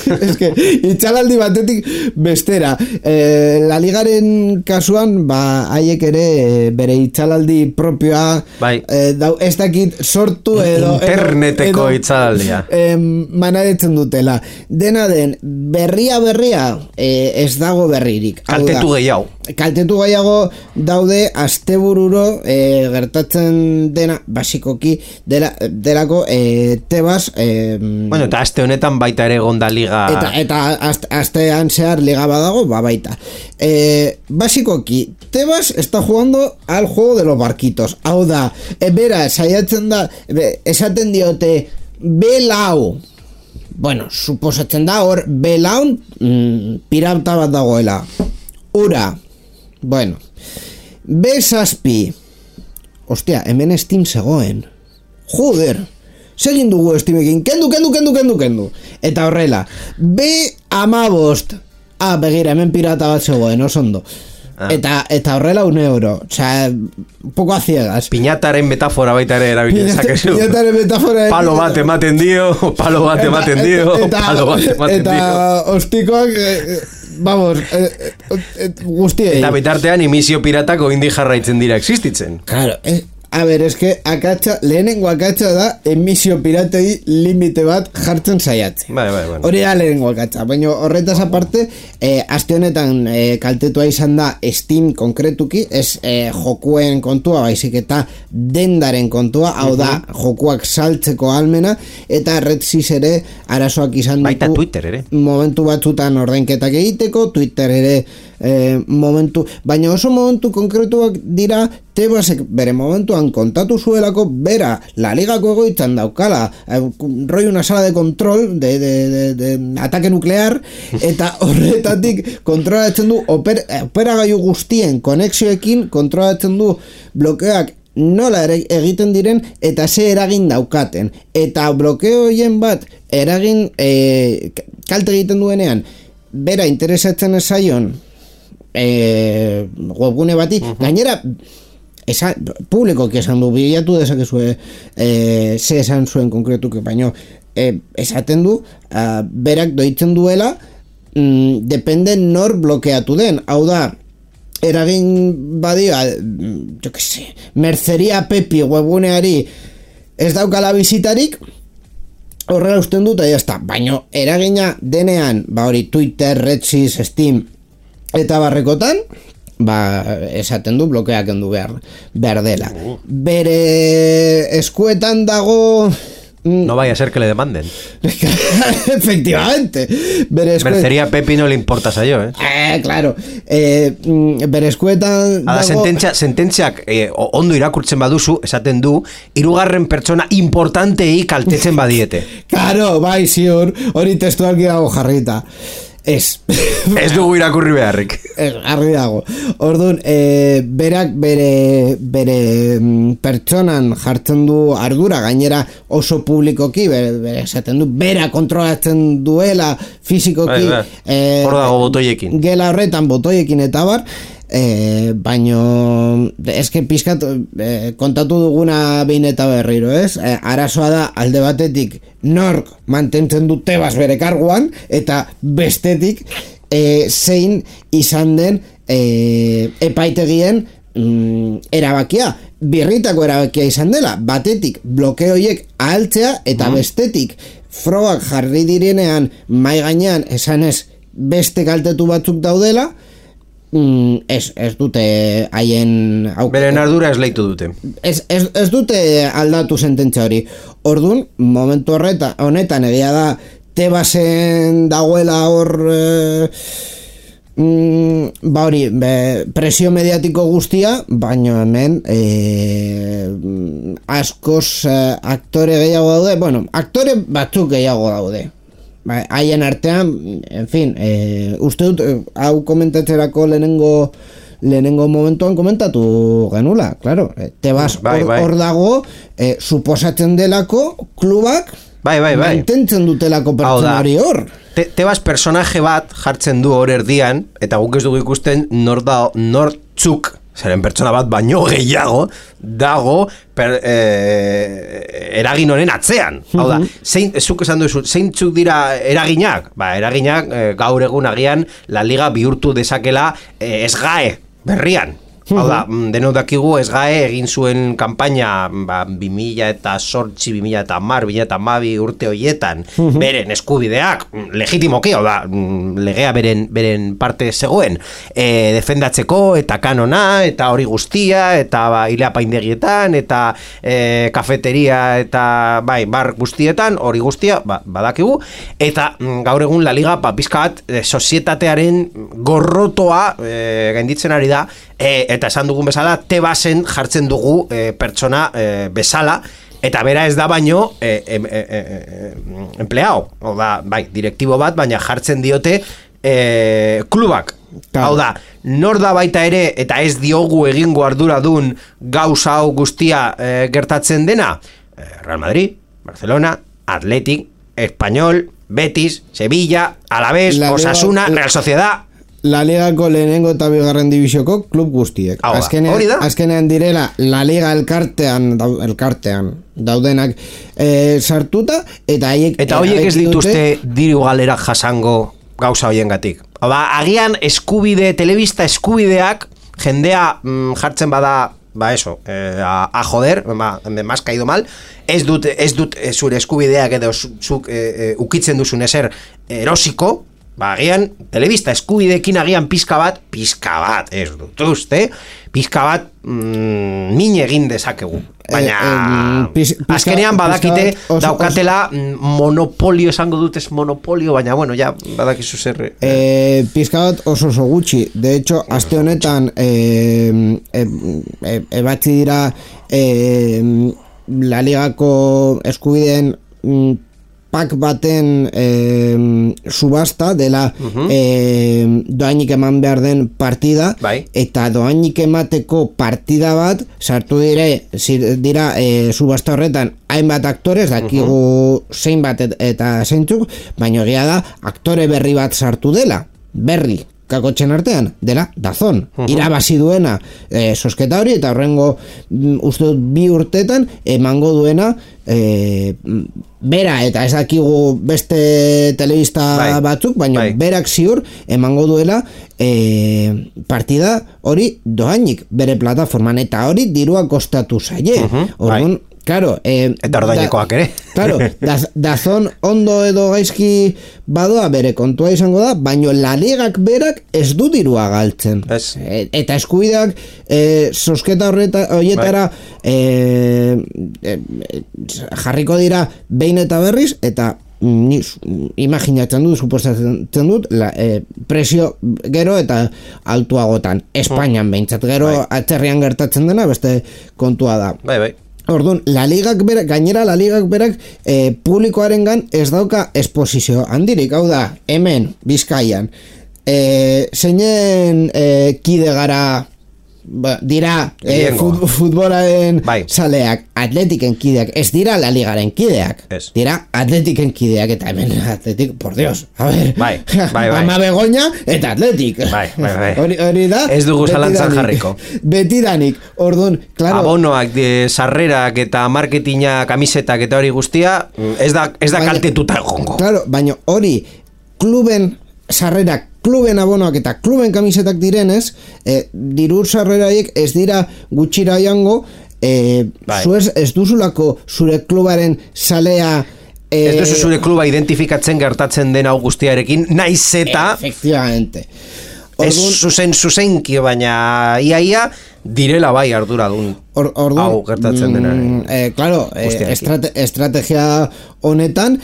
Es que itzalaldi batetik bestera. La Ligaren kasuan, haiek ere bere itzalaldi propioa ez dakit sortu edo interneteko itzalaldia manaretzen dutela. Dena den, berria ez dago berririk. Kaltetu gehiago daude astebururo gertatzen dena basikoki delako Tebas bueno, eta aste honetan baita ere gonda liga eta astean zehar liga badago, baita basikoki Tebas está jugando al juego de los barquitos. Hau da, bera, saiatzen da esaten diote belau, bueno, suposatzen da hor belaun pirata bat dagoela. Ura, bueno, B6, hostia, hemen Steam zegoen, joder, segin dugu Steamekin, kendu. Eta horrela, B15, begira, hemen pirata bat zegoen, osondo. Eta horrela €1. Osea, un poco a ciegas. Piñataren metafora baita ere erabili dezakezu. Piñataren metafora. Palo bat ematen dio, palo bat ematen dio. Eta ostikoak, vamos, guztiei. Eta bitartean emisio piratako indi jarraitzen dira existitzen. Claro, a ver, es que lehenengo akatsa da emisio piratei limite bat jartzen saiatzen. Bai. Hori da lehenengo akatsa, baina horretaz aparte, aste honetan kaltetua izan da Steam konkretuki, ez jokuen kontua, baizik eta dendaren kontua, hau da jokuak saltzeko almena, eta RedSys ere arazoak izan ditu. Baita Twitter ere. Momentu batzutan ordainketak egiteko, Twitter ere momentu, baina oso momentu konkretuak dira. Tebasek bere momentuan kontatu zuelako bera La Ligako egoitzan daukala roi una sala de control de ataque nuclear, eta horretatik kontrolatzen du operagailu guztien konexioekin, kontrolatzen du blokeoak nola egiten diren eta ze eragin daukaten, eta blokeo hoien bat eragin kalte egiten duenean bera interesatzen ez zaion webgune bati, gainera publikoki esan du, bilatu dezakezue ze esan zuen konkretuke, baino esaten du berak doitzen duela depende nor blokeatu den, hau da eragin badia jo que se, Merceria Pepi webguneari ez daukala bizitarik, horrela usten dut, eta jazta, baino eragina denean, hori Twitter, RedSys, Steam eta barrekotan, esaten du blokeak endu behar dela. Bere eskuetan dago... No vaya a ser que le demanden. Efectivamente. Mercería Pepi no le importa a yo, claro. Bere eskuetan dago... Sententziak ondo irakurtzen baduzu, esaten du, 3. pertsona importantei kaltetzen badiete. Claro, bai, ziur, hori testualki dago jarrita. Ez dugu irakurri beharrik. Argi dago. Orduan, berak bere pertsonan jartzen du ardura, gainera oso publikoki, esaten du, bera kontrolatzen duela fizikoki. Hor dago botoiekin. Gela horretan botoiekin eta bar, baino eske pizkat kontatu duguna behin eta berriro, ez? Arazoa da alde batetik nork mantentzen du Tebas bere karguan, eta bestetik zein izan den epaitegien erabakia, birritako erabakia izan dela, batetik blokeoiek ahaltzea, eta bestetik frogak jarri direnean mai gainean esanez beste kaltetu batzuk daudela, ez dute haien beren ardura esleitu dute, ez dute aldatu sententzia hori. Orduan, momentu honetan egia da Tebasen dagoela hor hori presio mediatiko guztia, baina hemen askoz aktore gehiago daude, bueno, aktore batzuk gehiago daude haien artean, en fin, uste dut, hau komentatzerako lehenengo momentuan komentatu genula, claro, Tebas hor dago, suposatzen delako klubak mantentzen dutelako pertsona hori hor. Tebas personaje bat jartzen du hor erdian, eta guk ez dugu ikusten nortzuk, zeren pertsona bat baino gehiago dago eragin honen atzean. Hau da, zuk esan duzu, zeintzuk dira eraginak? Eraginak gaur egun agian La Liga bihurtu dezakela SGAE berrian. Hau da, denok dakigu SGAE egin zuen kanpaina 2008, 2010, urte horietan beren eskubideak legitimoki, hau da, legea beren parte zegoen defendatzeko, eta kanona, eta hori guztia, eta hilea paindegietan, eta kafeteria, eta bar guztietan, hori guztia badakigu, eta gaur egun La Liga pizka bat sozietatearen gorrotoa gainditzen ari da, eta esan dugun bezala, Tebasen jartzen dugu pertsona bezala, eta bera ez da baino empleado, direktibo bat, baina jartzen diote klubak. Hau da, nor da baita ere, eta ez diogu egingo arduradun gauza hau guztia gertatzen dena? Real Madrid, Barcelona, Athletic, Espanyol, Betis, Sevilla, Alavés, Osasuna, Real Sociedad. La Ligako lehenengo eta bigarren dibizioko klub guztiek. Azkenean direla La Liga elkartean daudenak sartuta, eta haiek... Eta horiek ez dituzte diru galera jasango gauza hoiengatik. Agian telebista eskubideak jendea jartzen bada a joder, me has caído mal, ez dut zure eskubideak edo zuk ukitzen duzun ezer erosiko, agian telebista eskubideekin agian pizka bat, ez dut uste, pizka bat min egin dezakegu. Baina azkenean badakite daukatela monopolio, esango dut ez monopolio, baina bueno, ja badakizu zer pizka bat oso gutxi. De hecho, aste honetan ebatzi dira La Ligako eskubideen pak baten subasta dela doainik eman behar den partida, eta doainik emateko partida bat sartu dira subasta horretan hainbat aktorez, dakigu zein bat eta zeintzuk, baina egia da aktore berri bat sartu dela, berri kakotxen artean, dela Dazon. Irabazi duena sosketa hori, eta horrengo uste dut 2 urtetan emango duena bera, eta ez dakigu beste telebista batzuk, baina berak ziur emango duela partida hori doainik bere plataforman, eta hori dirua kostatu zaie. Orduan, claro, eta ordainekoak ere. Claro, Dazon ondo edo gaizki badoa bere kontua izango da, baino La Ligak berak ez du dirua galtzen. Eta eskubideak sosketa horietara jarriko dira behin eta berriz, eta imaginatzen dut, suposatzen dut presio gero eta altuagotan. Espainian behintzat, gero atzerrian gertatzen dena beste kontua da. Orduan, gainera La Ligak berak publikoarengan ez dauka esposizio handirik, hau da, hemen, Bizkaian, zeinen kide gara dira futbolaren saleak, Atletiken kideak, ez dira La Ligaren kideak, dira Atletiken kideak, eta hemen Atletik, por Dios, a ver, Ama Begoña eta Atletik, hori da, ez dugu zalantzan jarriko, betidanik, orduan, claro, abonoak, sarrerak eta marketina, kamisetak eta hori guztia, ez da kaltetuta egongo. Claro, baina hori, kluben sarrerak, kluben abonoak eta kluben kamisetak direnez, diru sarreraiek ez dira gutxira joango, ez duzulako zure klubaren salea, ez duzu zure kluba identifikatzen gertatzen den hau guztiarekin, naiz eta efectivamente ez zuzenki, baina iaia direla bai arduradun hau gertatzen dena. Claro, estrategia honetan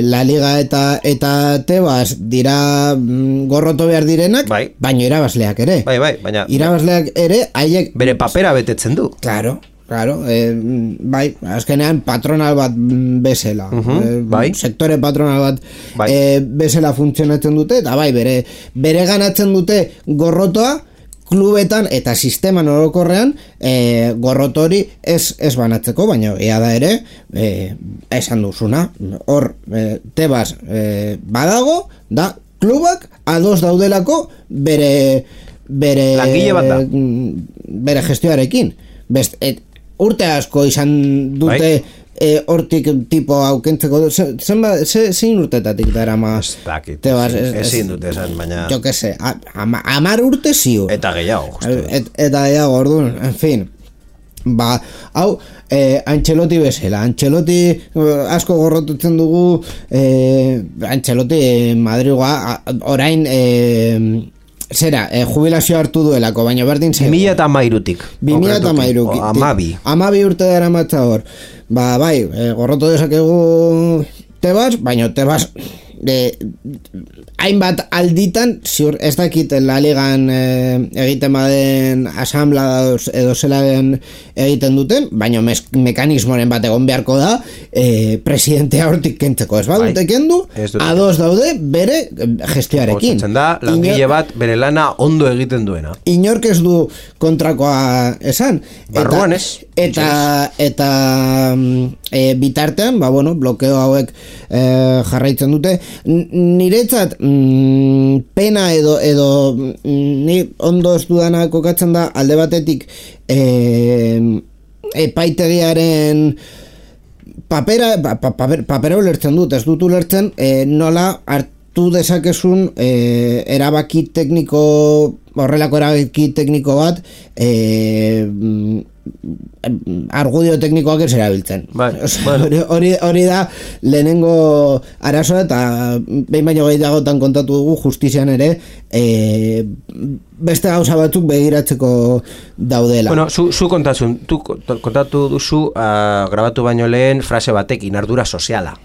La Liga eta Tebas dira gorroto behar direnak, baina irabazleak ere. Baina irabazleak ere haiek bere papera betetzen du. Claro, azkenean patronal bat bezala, sektore patronal bat bezala funtzionatzen dute, eta bere ganatzen dute gorrotoa klubetan eta sisteman orokorrean gorrotori ez banatzeko, baina ea da ere esan duzuna, hor Tebas badago, da klubak ados daudelako bere langile bat da, bere gestioarekin. Urte asko izan dute hortik tipo aukentzeko, zein urtetatik dara ma ezin dute esan, baina jo que se, 10 urte ziur eta gehiago, eta gehiago, orduan, en fin, hau Ancelotti bezala, Ancelotti asko gorrotutzen dugu, Ancelotti Madrigoa orain zera, jubilazio hartu duelako, baina berdin zen 2013-tik 2013 amabi urte dara matza hor, gorrotu dezakegu Tebas, baina Tebas hainbat alditan, ziur ez dakit La Ligan egiten baden asamblea edo zeladen egiten duten, baina mekanismoren bat egon beharko da presidentea hortik kentzeko, ez badute kendu, ados daude bere gestioarekin. Gotzatzen da, langile bat bere lana ondo egiten duena. Inork ez du kontrakoa esan. Barruan ez. Eta bitartean, blokeo hauek jarraitzen dute, niretzat pena edo ni ondo ez dudana kokatzen da alde batetik epaitegiaren papera ulertzen dut, ez dut ulertzen nola hartu dezakezun erabaki tekniko, horrelako erabaki tekniko bat argudio teknikoak ez erabiltzen. Hori da lehenengo arazoa, eta behin baino gehiagotan kontatu dugu justizian ere beste gauza batzuk begiratzeko daudela. Bueno, zu kontatu duzu grabatu baino lehen frase batekin, ardura soziala.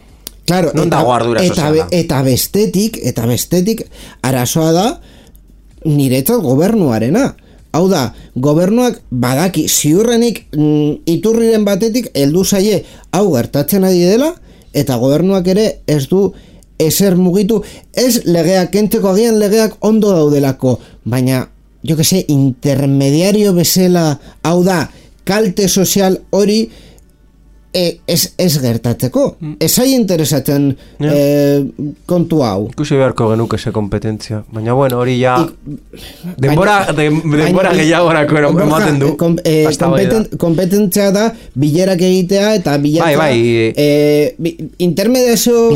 Claro, non dago ardura soziala? Eta bestetik arazoa da niretzat gobernuarena. Hau da, gobernuak badaki ziurrenik iturriren batetik heldu zaie hau gertatzen ari dela, eta gobernuak ere ez du ezer mugitu, ez legeak kentzeko, agian legeak ondo daudelako, baina, jo que se, intermediario bezala, hau da, kalte sozial hori ez gertatzeko. Ez ai interesatzen kontu hau. Ikusi beharko genuke ze kompetentzia. Baina bueno, hori ja denbora gehiagorako ematen du. Kompetentzia da bilerak egitea eta bilatzea intermediazio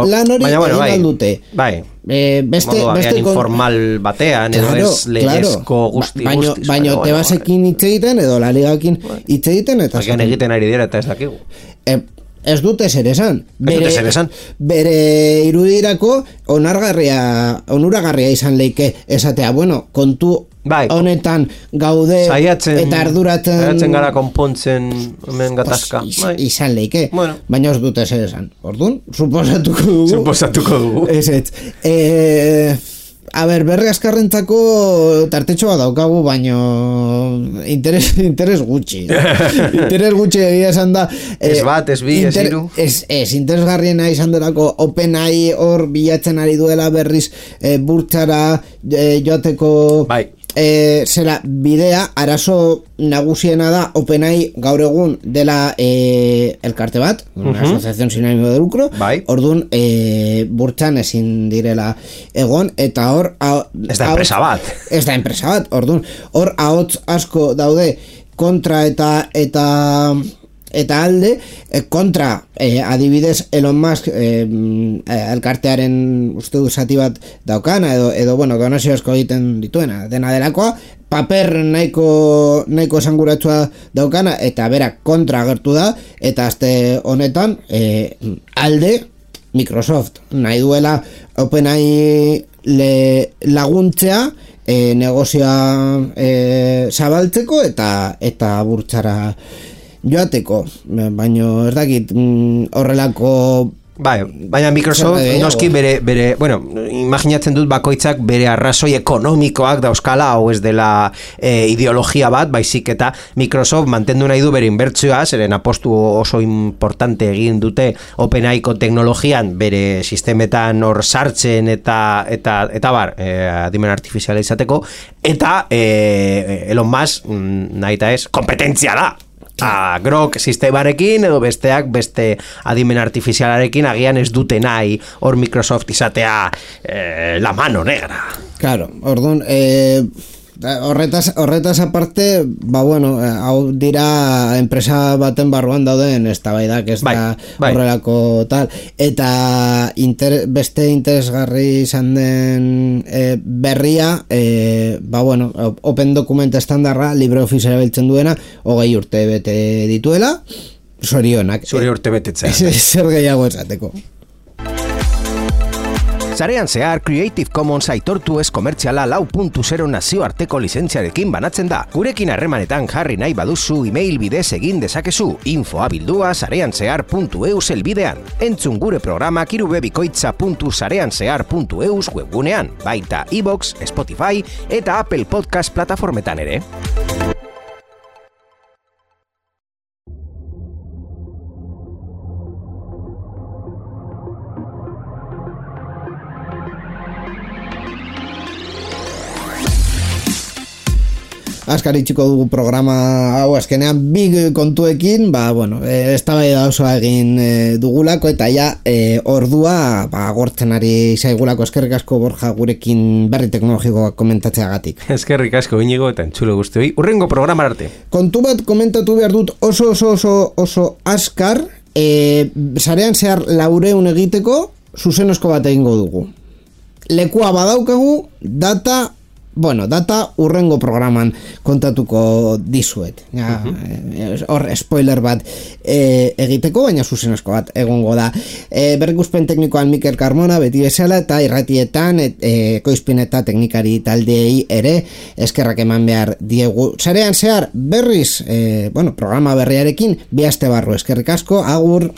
lan hori egin dute. Bai. Beste informal batean edo ez legezko guzti. Baina Tebasekin hitz egiten edo La Ligakin hitz egiten eta egiten ari dira eta ez dakigu. Ez dute zer esan. Bere irudirako onuragarria izan leike esatea, bueno, kontu honetan gaude eta arduratzen gara konpontzen hemen gatazka. Izan leike, baina ez dute zer esan. Orduan, suposatuko dugu. A ber, berri askarrentzako tartetxo bat daukagu, baino interes gutxi. Interes gutxi egia esan da. Ez bat, ez bi, ez hiru. Ez interesgarriena izan delako OpenAI hor bilatzen ari duela berriz burtsara joateko zera bidea. Arazo nagusiena da OpenAI gaur egun dela elkarte bat, una asociación sin ánimo de lucro. Orduan burtsan ezin direla egon, eta hor ez da enpresa bat. Orduan hor ahots asko daude kontra eta alde, kontra adibidez Elon Musk elkartearen uste du zati bat daukana edo bueno, donazio asko egiten dituena dena delakoa, paper nahiko esanguratsua daukana eta berak kontra agertu da, eta aste honetan alde Microsoft nahi duela OpenAI laguntzea negozioa zabaltzeko eta burtsara joateko, baina ez dakit horrelako baina Microsoft noski bere bueno, imaginatzen dut bakoitzak bere arrazoi ekonomikoak dauzkala, hau ez dela ideologia bat, baizik eta Microsoft mantendu nahi du bere inbertsioa, zeren apostu oso importante egin dute OpenAIko teknologian bere sistemetan hor sartzen eta bar, adimen artifiziala izateko, eta Elon Musk nahi eta ez, kompetentzia da! Grok sistemarekin edo besteak beste adimen artifizialarekin agian ez dute nahi hor Microsoft izatea la mano negra. Claro, orduan horretaz aparte, bueno, hau dira enpresa baten barruan dauden eztabaidak, ez da horrelako tal, eta beste interesgarri izan den berria, bueno, Open Document estandarra LibreOffice erabiltzen duena 20 urte bete dituela, zorionak. Zuri urte betetzen. Zer gehiago esateko. Sarean zehar Creative Commons aitortu ez komertziala 4.0 nazioarteko lizentziarekin banatzen da. Gurekin harremanetan jarri nahi baduzu email bidez egin dezakezu, info@sareanzehar.eus helbidean. Entzun gure programak irubebikoitza.sareanzehar.eus webgunean, baita iVoox, Spotify eta Apple Podcast plataformetan ere. Azkar itxiko dugu programa hau azkenean big kontuekin, bueno, eztabaida oso egin dugulako eta ja ordua agortzen ari zaigulako. Eskerrik asko Borja gurekin berri teknologikoak komentatzeagatik. Eskerrik asko Inigo eta entzulo guztioi. Urrengo programa arte. Kontu bat komentatu behar dut oso azkar, sarean zehar 400 egiteko zuzenozko bat egingo dugu. Lekua badaukagu, data urrengo programan kontatuko dizuet. Hor, spoiler bat egiteko, baina zuzenozko bat egongo da. Berrikuspen teknikoan Mikel Carmona, beti bezala, eta irratietan, ekoizpen eta teknikari taldeei ere, eskerrak eman behar diegu. Sarean zehar, berriz, programa berriarekin, 2 aste barru, eskerrik asko, agur!